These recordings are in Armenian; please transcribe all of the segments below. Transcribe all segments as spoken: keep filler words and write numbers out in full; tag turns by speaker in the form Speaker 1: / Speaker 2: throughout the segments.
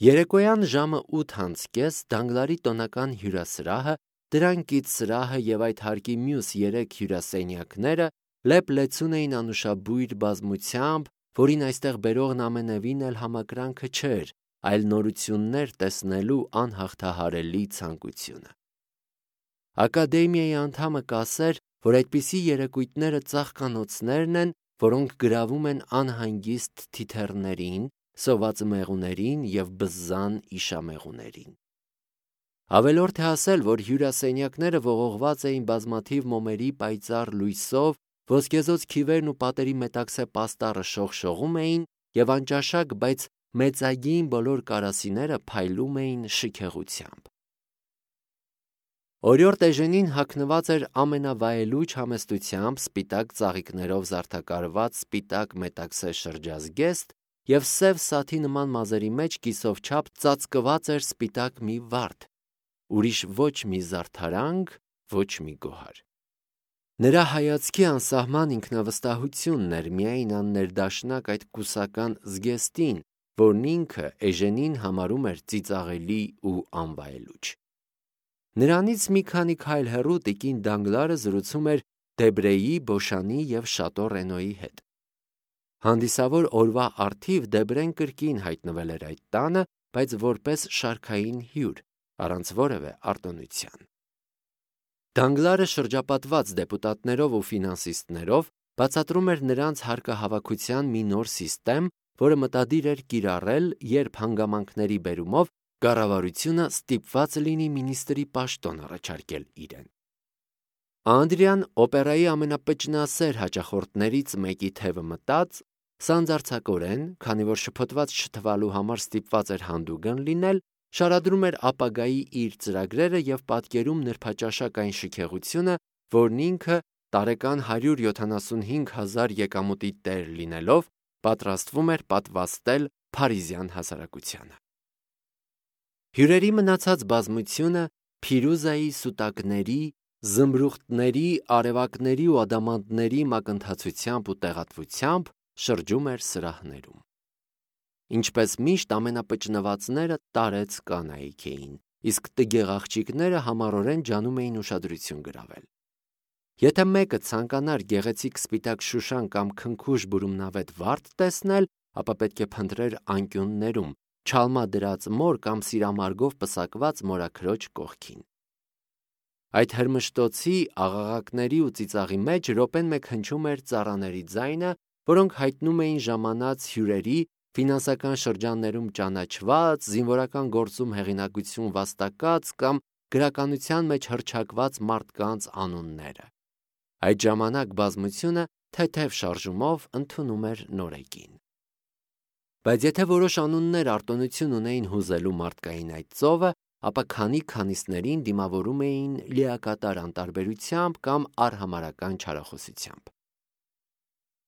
Speaker 1: Երեկոյան ժամը ութ անց կես Դանգլարի տոնական հյուրասրահը, դրան կից սրահը և այդ հարկի մյուս երեք հյուրասենյակները լեփ-լեցուն էին անուշաբույր բազմությամբ, որին այստեղ բերողն ամենևին էլ համակրանքը չէր, այլ նորություններ տեսնելու անհաղթահարելի ցանկությունը։ Ակադեմիայի անդամը կասեր, որ այդպիսի երեկույթները ծաղկանոցներն են, որոնք գրավում են անհանգիստ թիթեռներին, սոված մեղուներին և բզզան իշամեղուներին։ Ավելորդ է ասել, որ հյուրասենյակները ողողված էին բազմաթիվ մոմերի պայծառ լույսով, ոսկեզօծ քիվերն ու պատերի մետաքսե պաստառը շողշողում էին և անճաշակ, բայց մեծագին բոլոր կարասիները փայլում էին շքեղությամբ։ Օրիորդ Էժենին հագնված էր ամենավայելուչ համեստությամբ սպիտակ ծաղիկներով զարդաքարված սպիտակ մետաքսե շրջազգեստ և սև սաթի նման մազերի մեջ կիսով չափ ծածկված էր սպիտակ մի վարդ, ուրիշ ոչ մի զարդարանք, ոչ մի գոհար։ Նրա հայացքի անսահման ինքնավստահությունն էր միայն աններդաշնակ այդ կուսական զգեստին, որն ինքը Էժենին համարում էր ծիծաղելի ու անվայելուչ։ Նրանից մի քանի քայլ հեռու տիկին Դանգլարը զրուցում էր Դեբրեի, Բոշանի և Շատո Ռենոյի հետ։ Հանդիսավոր օրվա առթիվ Դեբրեն կրկին հայտնվել էր այդ տանը, բայց որպես շարքային հյուր, առանց որևէ արտոնության։ Դանգլարը շրջապատված դեպուտատներով ու ֆինանսիստներով բացատրում էր նրանց հարկահավաքության մի նոր սիստեմ, որը մտադիր էր կիրառել, երբ հանգամանքների բերումով կառավարությունը ստիպված լինի մինիստրի պաշտոն առաջարկել իրեն։ Անդրիան օպերայի ամենապճնասեր հաճախորդներից մեկի թևը մտած, սանձարձակորեն, քանի որ շփոթված չթվալու համար ստիպված էր հանդուգն լինել, շարադրում էր ապագայի իր ծրագրերը և պատկերում նրբաճաշակ այն շքեղությունը, որն ինքը տարեկան հարյուր յոթանասունհինգ հազար եկամուտի տեր լինելով, պատրաստվում էր պատվաստել փարիզյան հասարակությանը։ Հյուրերի մնացած բազմությունը Փիրուզայի սուտակների, զմրուխտների, արևակների ու ադամանդների մակընթացությամբ ու տեղատվությամբ շրջում էր սրահներում։ Ինչպես միշտ ամենապճնվածները տարեց կանայք էին, իսկ տգեղ աղջիկները համառորեն ջանում էին ուշադրություն գրավել։ Եթե մեկը ցանկանար գեղեցիկ սպիտակ շուշան կամ քնքուշ բուրումնավետ վարդ տեսնել, ապա պետք է փնտրեր անկյուններում, չալմադրած մոր կամ սիրամարգով պսակված մորաքրոջ կողքին։ Այդ հրմշտոցի, աղաղակների ու ծիծաղի մեջ րոպեն մեկ հնչում էր ծառաների ձայնը, որոնք հայտնում էին ժամանած հյուրերի, ֆինանսական շրջաններում ճանաչված, զինվորական գործում հեղինակություն վաստակած կամ գրականության մեջ հռչակված մարդկանց անունները։ Այդ ժամանակ բազմությունը թեթև շարժումով ընդունում էր նորեկին։ Բայց եթե որոշ անուններ արտոնություն ունեին հուզելու մարդկային այդ ծովը, ապա քանի-քանիսներին դիմավորում էին լիակատար անտարբերությամբ կամ արհամարհական չարախոսությամբ։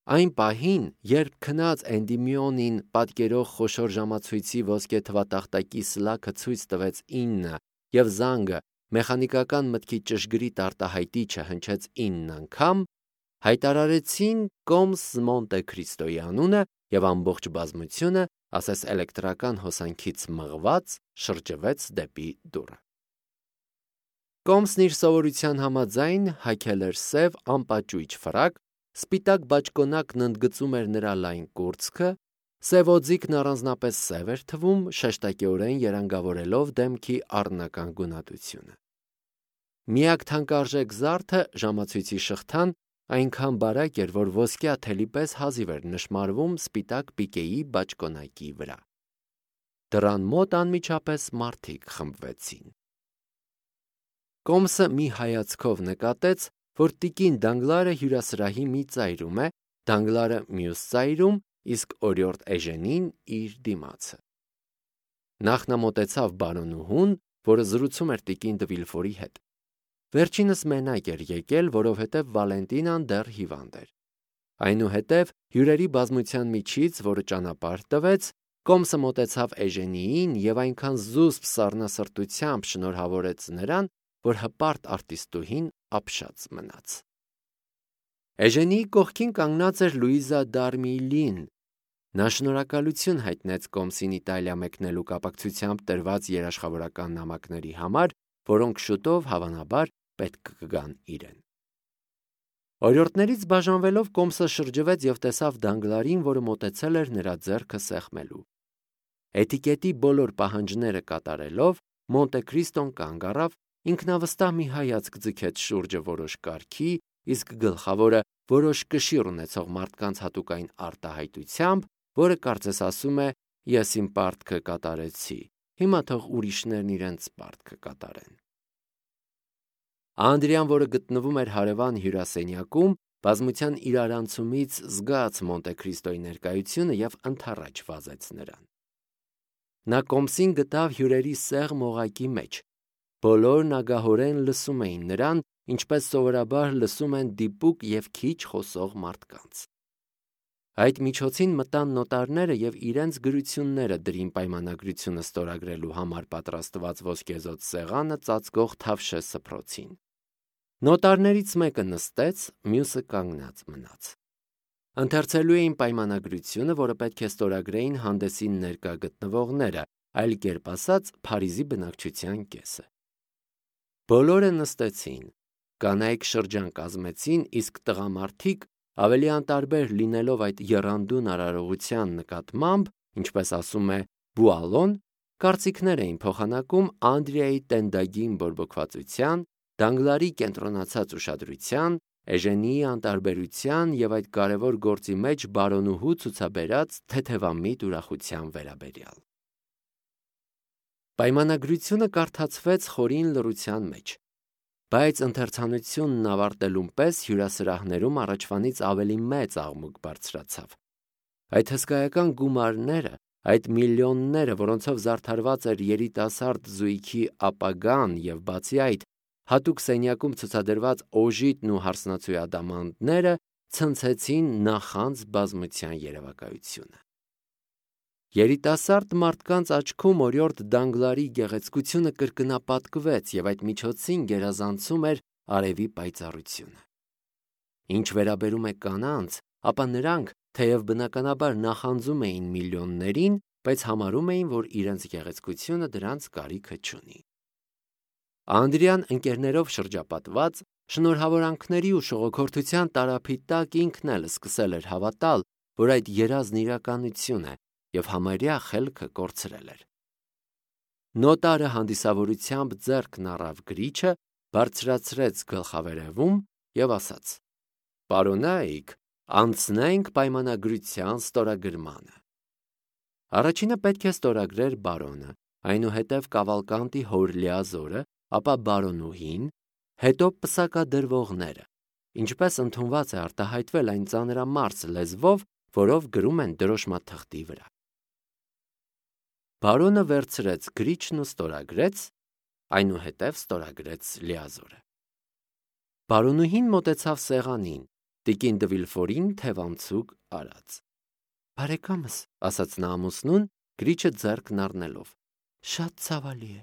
Speaker 1: Այն պահին, երբ քնած Էնդիմիոնին պատկերող խոշոր ժամացույցի ոսկե թվատախտակի սլաքը ցույց տվեց ինը և զանգը մեխանիկական մտքի ճշգրիտ արտահայտիչը հնչեց ինն անգամ, հայտարարեցին կոմս Մոնտե Քրիստոյի անունը և ամբողջ բազմությունը, ասես էլեկտրական հոսանքից մղված, շրջվեց դեպի դուռը։ Կոմսն իր սովորության համաձայն հագել էր սև անպաճույճ ֆրակ, սպիտակ բաճկոնակն ընդգծում էր նրա լայն կուրծքը, սև օձիքն առանձնապես սև էր թվում, շեշտակեորեն երանգավորելով դեմքի առնական գունատությունը։ Միակ թանկարժեք զարդը ժամացույցի շղթան այնքան բարակ էր, որ ոսկյա թելի պես հազիվ էր նշմարվում սպիտակ պիկեի բաճկոնակի վրա։ Դռան մոտ անմիջապես մարդիկ խմբվեցին։ Կոմսը մի հայացքով նկատեց, որ տիկին Դանգլարը հյուրասրահի մի ծայրում է, Դանգլարը մյուս ծայրում, իսկ օրիորդ Էժենին իր դիմացը։ Նախ նա մոտեցավ բարոնուհուն, որը զրուցում էր տիկին Դվիլֆորի հետ։ Վերջինս մենակ էր եկել, որովհետև Վալենտինան դեռ հիվանդ էր։ Այնուհետև հյուրերի բազմության միջից, որը ճանապարհ տվեց, Կոմսը մոտեցավ Էժենիին և այնքան զուսպ սառնասրտությամբ շնորհավորեց նրան, որ հպարտ արտիստուհին ապշած մնաց։ Էժենիի կողքին կանգնած էր Լուիզա Դարմիլին, Նա շնորհակալություն հայտնեց Կոմսին Իտալիա մեկնելու կապակցությամբ տրված երաշխավորական նամակների համար, որոնք շուտով հավանաբար պետք կգան իրեն։ Օրիորդներից բաժանվելով Կոմսը շրջվեց և տեսավ Դանգլարին, որը մոտեցել էր նրա ձեռքը սեղմելու։ Էտիկետի բոլոր պահանջները կատարելով, Մոնտե Քրիստոն կանգ առավ, ինքնավստահ մի հայացք ձգեց շուրջը որոշ կարգի, իսկ գլխավորը որոշ կշիռ ունեցող մարդկանց հատուկային արտահայտությամբ, որը կարծես ասում է. «Ես իմ պարտքը կատարեցի, հիմա թող ուրիշներն իրենց պարտքը կատարեն»։ Անդրեան, որը գտնվում էր հարևան հյուրասենյակում, բազմության իրարանցումից զգաց Մոնտե Քրիստոյի ներկայությունը և ընդառաջ վազեց նրան։ Նա Կոմսին գտավ հյուրերի սեղմ օղակի մեջ։ Բոլորն ագահորեն լսում էին նրան, ինչպես սովորաբար լսում են դիպուկ և քիչ խոսող մարդկանց։ Այդ միջոցին մտան նոտարները և իրենց գրությունները դրին պայմանագրությունը ստորագրելու համար պատրաստված ոսկեզօծ սեղանը ծածկող թավշե սփռոցին։ Նոտարներից մեկը նստեց, մյուսը կանգնած մնաց։ Ընթերցելու էին պայմանագրությունը, որը պետք է ստորագրեին հանդեսին ներկա գտնվողները, այլ կերպ ասած, Փարիզի բնակչության կեսը։ Բոլորը նստեցին, կանայք շրջան կազմեցին, իսկ տղամարդիկ, ավելի անտարբեր լինելով այդ եռանդուն արարողության նկատմամբ, ինչպես ասում է Բուալոն, կարծիքներ էին փոխանակում Անդրեայի տենդագին բորբոքվածության, Դանգլարի կենտրոնացած ուշադրության, Էժենիի անտարբերության և այդ կարևոր գործի մեջ բարոնուհու ցուցաբերած թեթևամիտ ուրախության վերաբերյալ։ Պայմանագրությունը կարդացվեց խորին լռության մեջ, բայց ընթերցանությունն ավարտելուն պես հյուրասրահներում առաջվանից ավելի մեծ աղմուկ բարձրացավ։ Այդ հսկայական գումարները, այդ միլիոնները, որոնցով զարդարված էր երիտասարդ զույգի ապագան և բացի այդ, հատուկ սենյակում ցուցադրված օժիտն ու հարսնացուի ադամանդները ցնցեցին նախանձ բազմության երևակայությունը։ Երիտասարդ մարդկանց աչքում օրիորդ Դանգլարի գեղեցկությունը կրկնապատկվեց և այդ միջոցին գերազանցում էր արևի պայծառությունը։ Ինչ վերաբերում է կանանց, ապա նրանք, թեև բնականաբար նախանձում էին միլիոններին, բայց համարում էին, որ իրենց գեղեցկությունը դրանց կարիքը չունի։ Անդրեան ընկերներով շրջապատված, շնորհավորանքների ու շողոքորթության տարափի տակ ինքն էլ սկսել էր հավատալ, որ այդ երազն իրականություն է և համարյա խելքը կորցրել էր։ Նոտարը հանդիսավորությամբ ձեռքն առավ գրիչը, բարձրացրեց գլխավերևում և ասաց. «Պարոնայք, անցնենք պայմանագրության ստորագրմանը»։ Առաջինը պետք է ստորագրեր բարոնը, այնուհետև Կավալկանտի հոր Լեազորը, ապա բարոնուհին, հետո պսակադրվողները, ինչպես ընդունված է արտահայտվել այն ծանրամարս լեզվով, որով գրում են դրոշմաթղթի վրա։ Բարոնը վերցրեց գրիչն ու ստորագրեց, այնուհետև ստորագրեց Լեազորը։ Բարոնուհին մոտեցավ սեղանին, տիկին Դվիլֆորին թևանցուկ արած։ «Բարեկամս», ասաց նա ամուսնուն, գրիչը ձեռքն առնելով, «շատ ցավալի է,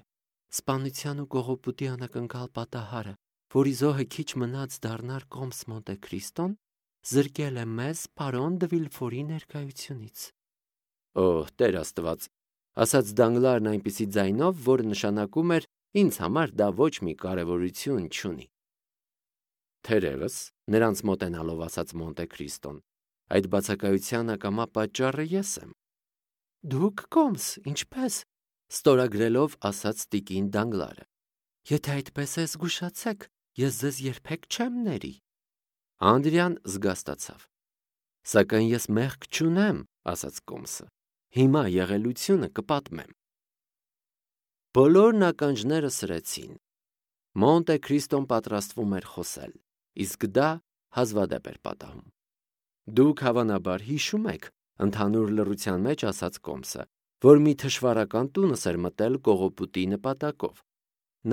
Speaker 1: սպանության ու կողոպուտի անակնկալ պատահարը, որի զոհը քիչ մնաց դառնար Կոմս Մոնտե Քրիստոն, զրկել է մեզ պարոն Դվիլֆորի ներկայությունից»։ «Օհ, Տեր Աստված», ասաց Դանգլարն այնպիսի ձայնով, որը նշանակում էր ինձ համար դա ոչ մի կարևորություն չունի։ Թերևս, նրանց մոտենալով ասաց Մոնտե Քրիստոն, այդ բացակայության ակամա պատճառը ես եմ։ Դուք Կոմս, ինչպես, ստորագրելով ասաց տիկին Դանգլարը։ Եթե այդպես է, զգուշացեք, ես ձեզ երբեք չեմ ների։ Անդրեան զգաստացավ։ Սակայն ես մեղք չունեմ, ասաց Կոմսը։ Հիմա եղելությունը կպատմեմ։ Բոլոր ականջները սրեցին։ Մոնտե Քրիստոն պատրաստվում էր խոսել, իսկ դա հազվադեպ էր պատահում։ Դուք հավանաբար հիշում եք, ընդհանուր լռության մեջ ասաց Կոմսը, որ մի թշվառական տունս էր մտել կողոպուտի նպատակով։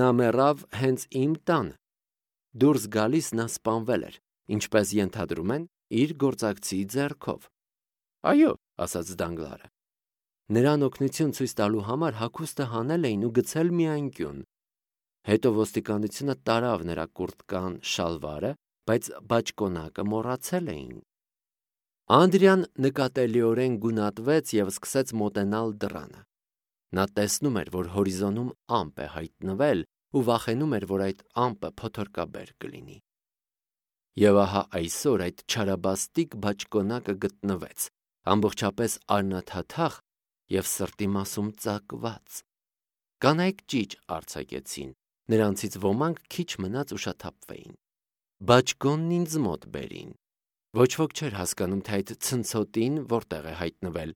Speaker 1: Նա մեռավ հենց իմ տանը։ Դուրս գալիս նա սպանվել էր, ինչպես ենթադրում են, իր գործակցի ձեռքով։ Այո, ասաց Դանգլարը։ Նրան օգնություն ցույց տալու համար հագուստը հանել էին ու գցել մի անկյուն։ Հետո ոստիկանությունը տարավ նրա կուրտկան շալվարը, բայց բաճկոնակը մոռացել էին։ Անդրեան նկատելիորեն գունատվեց և սկսեց մոտենալ դռանը։ Նա տեսնում էր, որ հորիզոնում ամպ է հայտնվել ու վախենում էր, որ այդ ամպը փոթորկաբեր կլինի։ Եվ ահա այսօր այդ չարաբաստիկ բաճկոնակը գտնվեց, ամբողջապես արնաթաթախ և սրտի մասում ծակված։ Կանայք ճիչ արձակեցին, նրանցից ոմանք քիչ մնաց ուշաթափվեին։ Բաճկոնն ինձ մոտ բերին։ Ոչ ոք չէր հասկանում, թե այդ ցնցոտին որտեղ է հայտնվել։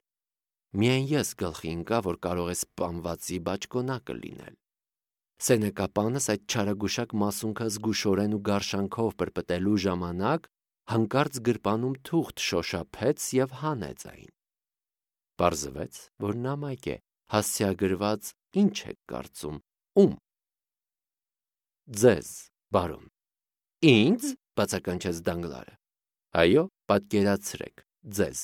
Speaker 1: Միայն ես գլխի ընկա, որ կարող է սպանվածի բաճկոնակը լինել։ Սենեկապանս այդ չարագուշակ մասունքը զգուշորեն ու գարշանքով պրպտելու ժամանակ հանկարծ գրպանում թուղթ շոշափեց և հանեց այն։ Պարզվեց, որ նամակ է, հասցեագրված, ինչ եք կարծում, ում։ Ձեզ, բարոն։ Ինձ, բացականչեց Դանգլարը։ Այո, պատկերացրեք, ձեզ,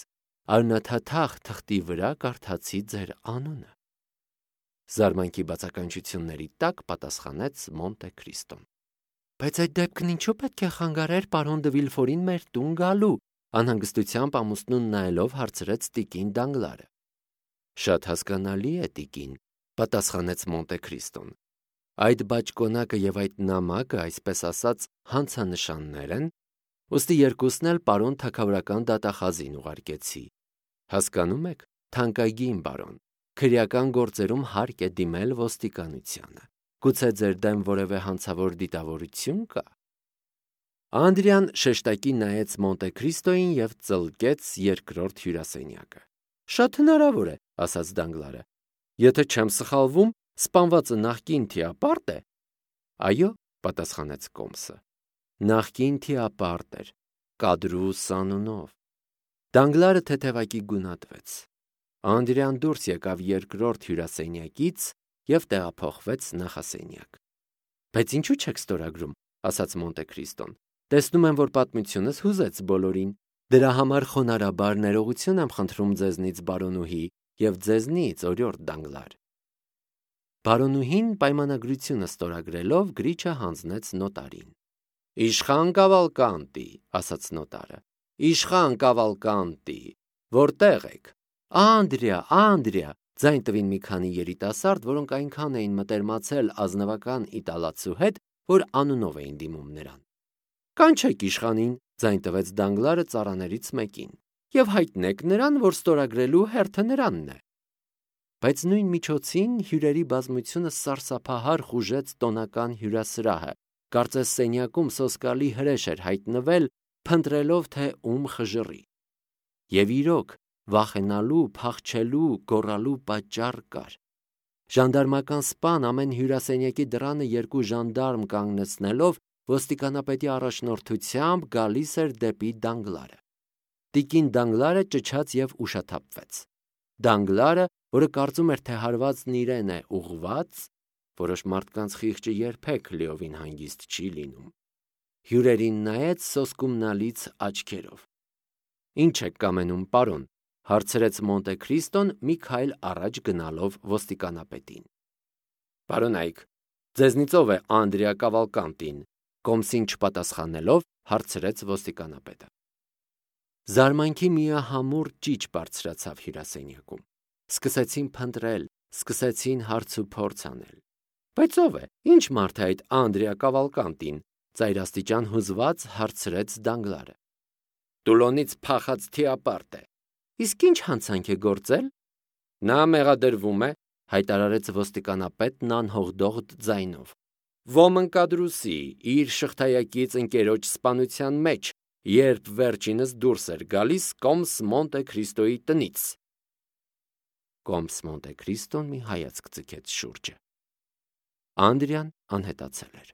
Speaker 1: արնաթաթախ թղթի վրա կարդացի ձեր անունը։ Զարմանքի բացականչությունների տակ պատասխանեց Մոնտե Քրիստոն։ Բայց այդ դեպքն ինչու պետք է խանգարեր պարոն դը Վիլֆորին մեր տուն գալու, անհանգստությամբ ամուսնուն նայելով հարցրեց տիկին Դանգլարը։ Շատ հասկանալի է, տիկին, պատասխանեց Մոնտե Քրիստոն։ Այդ բաճկոնակը և այդ նամակը, այսպես ասած, հանցանշաններ են, ուստի երկուսն էլ պարոն թագավորական դատախազին ուղարկեցի։ Հասկանում եք, թանկագին բարոն, քրեական գործերում հարկ է դիմել ոստիկանությանը։ Գուցե ձեր դեմ որևէ հանցավոր դիտավորություն կա։ Անդրեան շեշտակի նայեց Մոնտե Քրիստոյին և ծլկեց երկրորդ հյուրասենյակը։ Շատ հնարավոր է, ասաց Դանգլարը։ Եթե չեմ սխալվում, սպանվածը նախկին թիապարտ է։ Այո, պատասխանեց Կոմսը։ Նախկին թիապարտ էր, Կադրուս անունով։ Դանգլարը թեթևակի գունատվեց։ Անդրեան դուրս եկավ երկրորդ հյուրասենյակից և տեղափոխվեց նախասենյակ։ Բայց ինչու չեք ստորագրում, ասաց Մոնտե Քրիստոն։ Տեսնում եմ, որ պատմությունս հուզեց բոլորին։ Դրա համար խոնարհաբար ներողություն եմ խնդրում ձեզնից, բարոնուհի, և ձեզնից, օրիորդ Դանգլար։ Բարոնուհին պայմանագրությունը ստորագրելով գրիչը հանձնեց նոտարին։ Իշխան Կավալկանտի, ասաց նոտարը։ Իշխան Կավալկանտի, որտեղ եք։ Անդրեա, Անդրեա, ձայն տվին մի քանի երիտասարդ, որոնք այնքան էին մտերմացել ազնվական իտալացու հետ, որ անունով էին դիմում նրան։ Կանչեք իշխանին, ձայն տվեց Դանգլարը ծառաներից մեկին, և հայտնեք նրան, որ ստորագրելու հերթը նրանն է։ Բայց նույն միջոցին հյուրերի բազմությունը սարսափահար խուժեց տոնական հյուրասրահը, կարծես սենյակում սոսկալի հրեշ էր հայտնվել, փնտրելով, թե ում խժռի։ Եվ իրոք, վախենալու, փախչելու, գոռալու պատճառ կար։ Ժանդարմական սպան ամեն հյուրասենյակի դռանը երկու ժանդարմ կանգնեցնելով ոստիկանապետի առաջնորդությամբ գալիս էր դեպի Դանգլարը։ Տիկին Դանգլարը ճչաց և ուշաթափվեց։ Դանգլարը, որը կարծում էր, թե հարվածն իրեն է ուղղված, որոշ մարդկանց խիղճը երբեք լիովին հանգիստ չի լինում, հյուրերին նայեց սոսկումնալից աչքերով։ Ինչ եք կամենում, պարոն, հարցրեց Մոնտե Քրիստոն մի քայլ առաջ գնալով ոստիկանապետին։ Պարոնայք, ձեզնից ով է Անդրեա Կավալկանտին, Կոմսին չպատասխանելով հարցրեց ոստիկանապետը։ Զարմանքի միահամուռ ճիչ բարձրացավ հյուրասենյակում։ Սկսեցին փնտրել, սկսեցին հարց ու փորձ անել։ Բայց ով է, ինչ մարդ է այդ Անդրեա Կավալկանտին, ծայրաստիճան հուզված հարցրեց Դանգլարը։ Տուլոնից փախած թիապարտ է։ Իսկ ինչ հանցանք է գործել։ Նա մեղադրվում է, հայտարարեց ոստիկանապետն անհողդողդ ձայնով, Ոմն Կադրուսի իր շղթայակից ընկերոջ սպանության մեջ, երբ վերջինս դուրս էր գալիս Կոմս Մոնտե Քրիստոյի տնից։ Կոմս Մոնտե Քրիստոն մի հայացք ձգեց շուրջը։ Անդրեան անհետացել էր։